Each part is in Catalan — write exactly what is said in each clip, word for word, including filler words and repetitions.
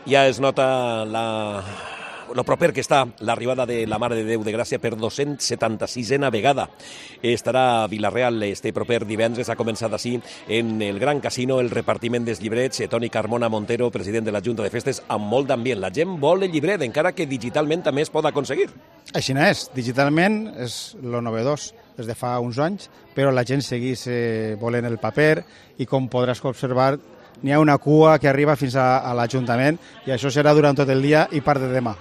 Ja es nota la... lo proper que està l'arribada de la Mare de Déu de Gràcia per dos-cents setanta-sisena vegada. Estarà a Vila-real este proper divendres. Ha començat així en el Gran Casino el repartiment dels llibrets. Toni Carmona Montero, president de la Junta de Festes, amb molt d'ambient. La gent vol el llibret, encara que digitalment també es pot aconseguir. Així no és. Digitalment és lo novedós des de fa uns anys, però la gent segueix eh, volent el paper i, com podràs observar, n'hi ha una cua que arriba fins a, a l'Ajuntament i això serà durant tot el dia i part de demà.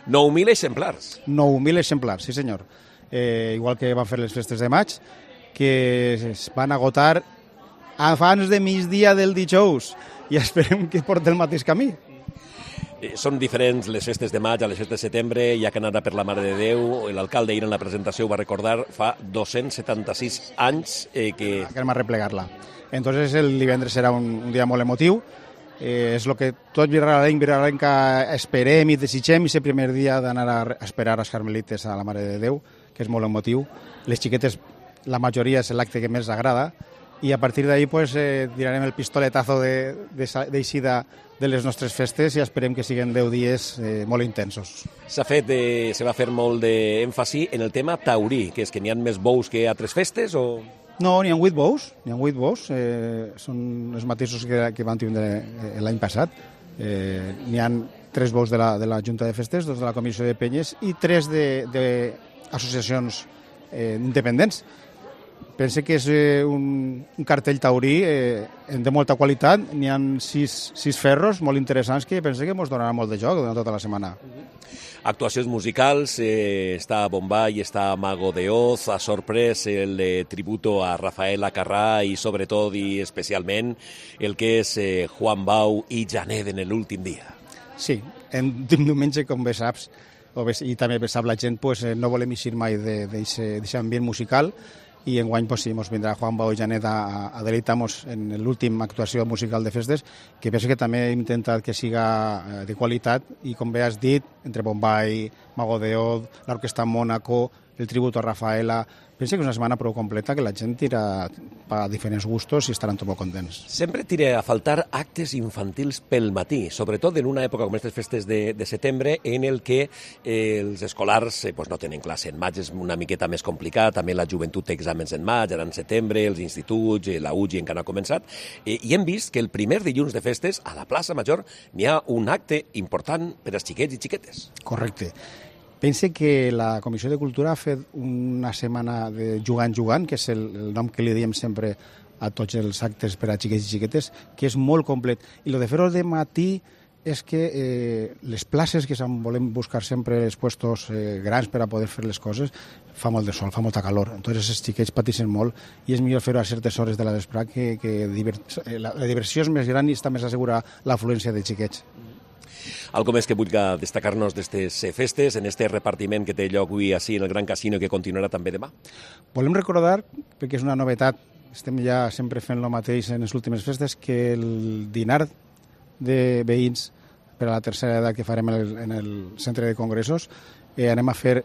nou mil exemplars. nou mil exemplars, sí senyor. Eh, igual que van fer les festes de maig, que es van agotar abans de migdia del dijous i esperem que porti el mateix camí. Eh, són diferents les festes de maig a les festes de setembre, ja que anara per la Mare de Déu. L'alcalde ahir en la presentació ho va recordar, fa dos-cents setanta-sis anys eh, que... Anem a replegar-la. Entonces el divendres serà un, un dia molt emotiu. Eh, és el que tot virrealenc, virrealenca esperem i desitgem, i és el primer dia d'anar a esperar als carmelites a la Mare de Déu, que és molt emotiu. Les xiquetes, la majoria és l'acte que més agrada, i a partir d'ahir pues, eh, tirarem el pistoletazo d'eixida de, de, de les nostres festes i esperem que siguin deu dies eh, molt intensos. S'ha fet, eh, se va fer molt d'èmfasi en el tema taurí, que és que n'hi ha més bous que altres festes, o...? No, n'hi ha vuit bous, n'hi ha vuit bous, eh, són els mateixos que, que van tindre l'any passat. Eh, n'hi ha tres bous de la, de la Junta de Festes, dos de la Comissió de Penyes i tres d'associacions eh, independents. Pense que és eh, un, un cartell taurí eh, de molta qualitat. N'hi ha sis, sis ferros molt interessants que pense que ens donarà molt de joc durant tota la setmana. Actuacions musicals, eh, està Bombay, està Mago de Oz, ha sorprès el eh, tributo a Rafael Acarrà i sobretot i especialment el que és eh, Juan Bau i Janet en l'últim dia. Sí, en diumenge, com bé saps, o bé, i també bé sap la gent, pues, eh, no volem eixir mai d'aquest ambient musical, i enguany pues, sí, ens vindrà Juan Bau i Janet a, a deleitar-nos en l'última actuació musical de festes, que penso que també hem intentat que siga de qualitat, i com bé has dit, entre Bombay, Mago de Oz, l'Orquestra Mónaco, el tributo a Rafaela... Penso que és una setmana prou completa, que la gent tira a diferents gustos i estaran tot molt contents. Sempre tira a faltar actes infantils pel matí, sobretot en una època com aquestes festes de, de setembre, en el que eh, els escolars eh, pues no tenen classe. En maig és una miqueta més complicat, també la joventut té exàmens en maig, ara en setembre, els instituts, eh, la U G I encara no ha començat, eh, i hem vist que el primer dilluns de festes, a la plaça Major, n'hi ha un acte important per als xiquets i xiquetes. Correcte. Pense que la Comissió de Cultura ha fet una setmana de jugant jugant, que és el, el nom que li diem sempre a tots els actes per a xiquets i xiquetes, que és molt complet. I el de fer-ho de matí és que eh, les places, que volem buscar sempre els puestos eh, grans per a poder fer les coses, fa molt de sol, fa molta calor. Entonces els xiquets pateixen molt i és millor fer-ho a certes hores de la vesprà, que, que divert... la, la diversió és més gran i està més assegura l'afluència de xiquets. Algo més que vulga destacar-nos d'aquestes festes, en este repartiment que té lloc avui així en el Gran Casino i que continuarà també demà? Volem recordar, perquè és una novetat, estem ja sempre fent el mateix en les últimes festes, que el dinar de veïns per a la tercera edat que farem en el, en el centre de congressos, eh, anem a fer,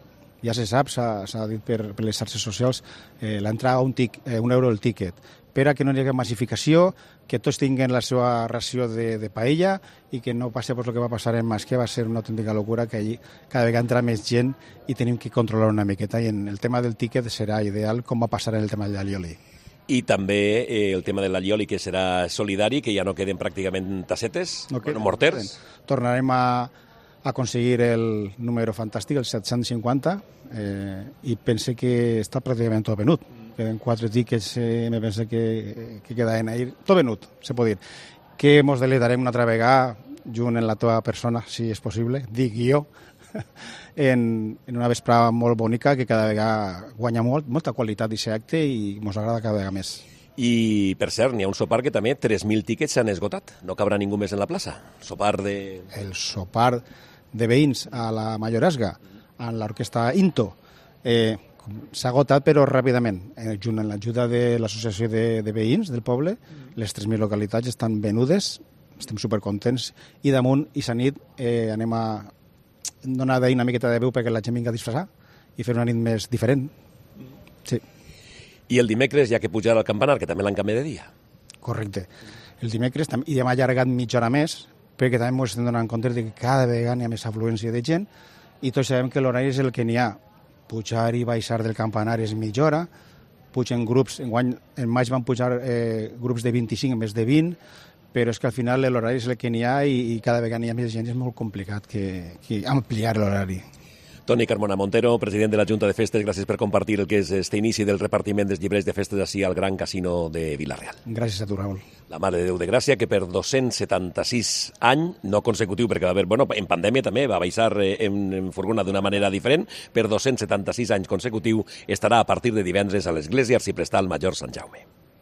ja se sap, s'ha dit per, per les xarxes socials, eh, l'entrada a un, tic, eh, un euro el tíquet, per a que no hi hagi massificació, que tots tinguin la seva ració de, de paella i que no passi pues, el que va passar en Mas, que va ser una autèntica locura, que allí cada vegada entra més gent i tenim que controlar una miqueta, i en el tema del tíquet serà ideal, com va passar en el tema del allioli. I també eh, el tema de l'allioli, que serà solidari, que ja no queden pràcticament tassetes, no queden, bueno, morters. Tornarem a aconseguir el número fantàstic, el set-cents cinquanta, eh, i pense que està pràcticament tot venut. Queden quatre tickets, eh, me penso que, que quedaven ahir, tot venut, se pot dir. Que mos deleitarem una altra vegada, junt en la teva persona, si és possible, dic jo, en, en una vesprada molt bonica, que cada vegada guanya molt, molta qualitat d'aquest acte i mos agrada cada vegada més. I, per cert, n'hi ha un sopar que també tres mil tickets s'han esgotat. No cabrà ningú més en la plaça. Sopar de... El sopar de veïns a la Mayoresga, en l'orquestra Into, eh, s'ha agotat, però ràpidament. Eh, junt amb l'ajuda de l'associació de, de veïns del poble, les tres mil localitats estan venudes, estem supercontents, i damunt, i sa nit, eh, anem a donar d'ahir una miqueta de veu perquè la gent vinga a disfressar i fer una nit més diferent. Sí. I el dimecres, ja que pujarà al campanar, que també l'han canviat de dia. Correcte. El dimecres, i hem allargat mitja hora més, perquè també ens estem donant compte que cada vegada hi ha més afluència de gent i tots sabem que l'horari és el que n'hi ha. Pujar i baixar del campanar és mitja hora, pugen grups, enguany en maig van pujar eh, grups de vint-i-cinc en vez de vint, però és que al final l'horari és el que n'hi ha i, i cada vegada hi ha més gent, és molt complicat que, que ampliar l'horari. Toni Carmona Montero, president de la Junta de Festes, gràcies per compartir el que és este inici del repartiment dels llibres de festes així al Gran Casino de Vila-real. Gràcies a tu, Raül. La Mare de Déu de Gràcia, que per dos-cents setanta-sis anys, no consecutiu, perquè va haver, bueno, en pandèmia també va baixar en, en furgona d'una manera diferent, per dos-cents setanta-sis anys consecutiu estarà a partir de divendres a l'Església Arxiprestal Major Sant Jaume.